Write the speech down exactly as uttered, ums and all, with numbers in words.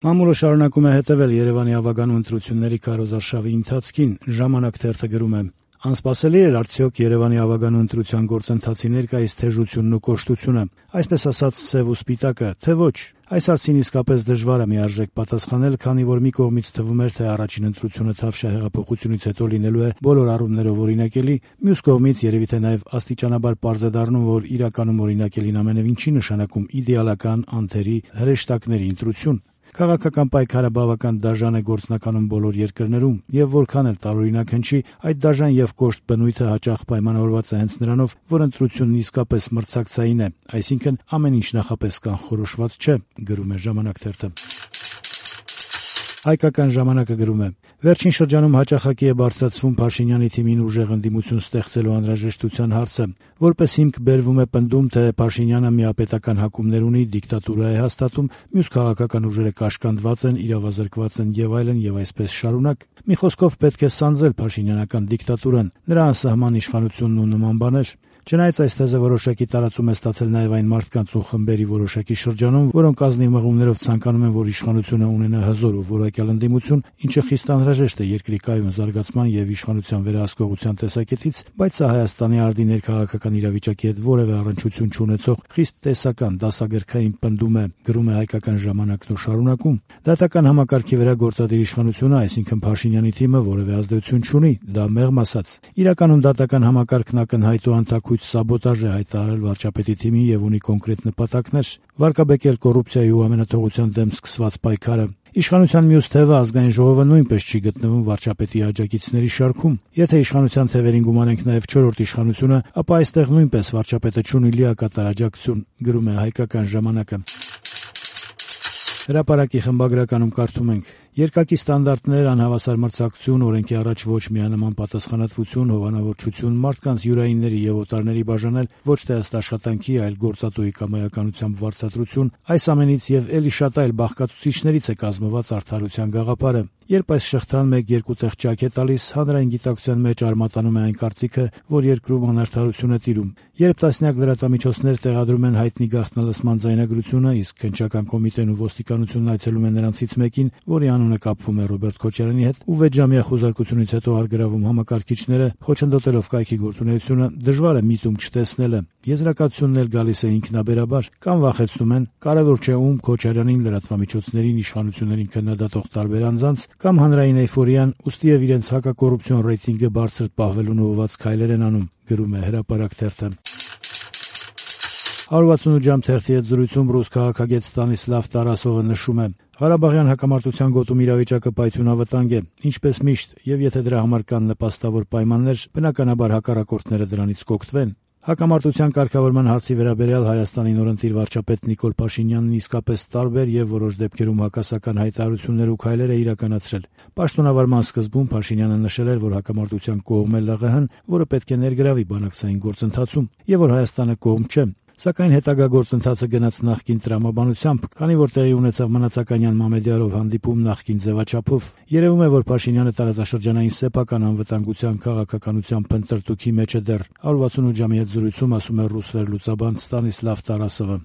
Մամուլը շարունակում է հետևել Երևանի ավագանու ընտրությունների քարոզարշավի ընթացքին, «Ժամանակ» թերթը գրում է. «Անսպասելի էր արդյոք Երևանի ավագանու ընտրության գործընթացի ներկայիս թեժությունն ու կոշտությունը, այսպես ասած սև ու սպիտակը, թե ոչ։ Այս հարցին իսկապես դժվար է միարժեք պատասխանել, քանի որ մի կողմից թվում էր, թե առաջին ընտրությունը Թավշյա հեղափոխությունից հետո լինելու է բոլոր առումներով օրինակելի, մյուս կողմից երևի թե նաև աստիճանաբար պարզ է դառնում, որ իրականում օրինակելին ամենևին չի նշանակում իդեալական, անթերի, հրեշտակների ընտրություն։ Քաղաքական պայքարը բավական դաժան է գործնականում բոլոր երկրներում, եւ որքան էլ տարօրինակ հնչի, այդ դաժան եւ կոշտ բնույթը հաճախ պայմանավորված է հենց նրանով, որ ընտրությունն իսկապես մրցակցային է, այսինքն ամեն ինչ նախապես կանխորոշված չէ», գրում է «Ժամանակ» թերթը։ Հայկական ժամանակը գրում է. «Վերջին շրջանում հաճախակի է բարձրացվում Փաշինյանի թիմին ուժեղ ընդդիմություն ստեղծելու անհրաժեշտության հարցը, որպես հիմք բերվում է պնդում, թե Փաշինյանը միապետական հակումներ ունի, դիկտատուրա է հաստատում, մյուս քաղաքական ուժերը կաշկանդված են, իրավազրկված են եւ այլն եւ այսպես շարունակ։ Մի խոսքով պետք է սանձել փաշինյանական դիկտատուրան, նրա անսահման իշխանությունն ու նման բաներ։ Չնայած այս թեզը որոշակի տարածում է ստացել նաև այն մարդկանց ու խմբերի որոշակի շրջանում, որոնք ազնիվ մղումներով ցանկանում են, որ իշխանությունը ունենա հզոր ու որակյալ ընդդիմություն, ինչը խիստ անհրաժեշտ է երկրի կայուն զարգացման եւ իշխանության վերահսկողության տեսակետից, բայց սա Հայաստանի արդի ներքաղաքական իրավիճակի հետ որևէ առնչություն չունեցող խիստ տեսական դասագրքային պնդում է», գրում է «Հայկական ժամանակն» ու շարունակում. «Դատական համակարգի վրա գործադիր իշխանությունը, այսինքն Փաշինյանի թիմը, որևէ ազդեցություն չունի, դա մեղմ ասած։ Իրականում դատական համակարգն ակնհայտ ու անթաքույց սաբոտաժ է հայտարարել վարչապետի թիմին եւ ունի կոնկրետ նպատակներ՝ վարկաբեկել կոռուպցիայի ու ամենաթողության դեմ սկսված պայքարը։ Իշխանության մյուս թևը, Ազգային ժողովը, նույնպես չի գտնվում վարչապետի աջակիցների շարքում։ Եթե իշխանության թևերին գումարենք նաև չորրորդ իշխանությունը, ապա այստեղ նույնպես վարչապետը չունի լիակատար աջակցություն», գրում է «Հայկական ժամանակը»։ Հրապարակի խմբագրականում կարդում ենք. «Երկակի ստանդարտներ, անհավասար մրցակցություն, օրենքի առաջ ոչ միանման պատասխանատվություն, հովանավորչություն, մարդկանց յուրայինների եւ օտարների բաժանել ոչ թե ըստ աշխատանքի, այլ գործատուի կամայականությամբ վարձատրություն, այս ամենից եւ էլի շատ այլ բաղկացուցիչներից է կազմված արդարության գաղափարը։ Երբ այս շղթան մեկ-երկու տեղ ճաք է տալիս, հանրային գիտակցության մեջ արմատանում է այն կարծիքը, որ երկրում անարդարություն է տիրում։ Երբ տասնյակ լրատվամիջոցներ տեղադրում են հայտնի գաղտնալսման ձայնագրությունը, իսկ քննչական կոմիտեն ու ոստիկանությունն այցելում են նրանցից մեկին, որի անունը կապվում է Ռոբերտ Քոչարյանի հետ, ու վեցժամյա խուզարկությունից հետո արգրավում համակարգիչները, խոչընդոտելով կայքի գործունեությունը, դժվար է միտում չտեսնելը։ Եզրակացությունն էլ գալիս է ինքնաբերաբար, կամ վախեցնում են, կարևոր չէ ում, Քոչարյանին, լրատվամիջոցներին, իշխանություններին քննադատող տարբեր անձանց, կամ հանրային էյֆորիան, ուստի եւ իրենց հակակոռուպցիոն ռեյտինգը բարձր պահվելուն ուղղված քայլեր են անում», գրում է «Հրապարակ» թերթը։ one sixty-eight ժամ թերթի հետ զրույցում ռուս քաղաքագետ Ստանիսլավ Տարասովը նշում է. «Ղարաբաղյան հակամարտության գոտում իրավիճակը պայթյունավտանգ է, ինչպես միշտ, եւ եթե դրա համար կան նպաստավոր պայմաններ, բնականաբար հակառակորդները դրանից կօգտվեն։ Հակամարտության կարգավորման հարցի վերաբերյալ Հայաստանի նորընտիր վարչապետ Նիկոլ Փաշինյանն իսկապես տարբեր եւ որոշ դեպքերում հակասական հայտարարություններ ու քայլեր է իրականացրել։ Պաշտոնավարման սկզբում Փաշինյանը նշել էր, որ հակամարտության կողմ է Լ Ղ Հ-ն, որը պետք է ներգրավի բանակցային գործընթացում, եւ որ Հայաստանը կողմ չէ։ Սակայն հետագա գործընթացը գնաց նախկին տրամաբանությամբ, քանի որ տեղի ունեցավ Մնացականյան Մամեդյարով հանդիպում նախկին ձևաչափով։ Երևում է, որ Փաշինյանը տարածաշրջանային սեփական անվտանգության քաղաքականության փնտրտուքի մեջ է դեռ։ one sixty-eight ժամի հետ զրույցում ասում է ռուս վերլուծաբան Ստանիսլավ Տարասովը։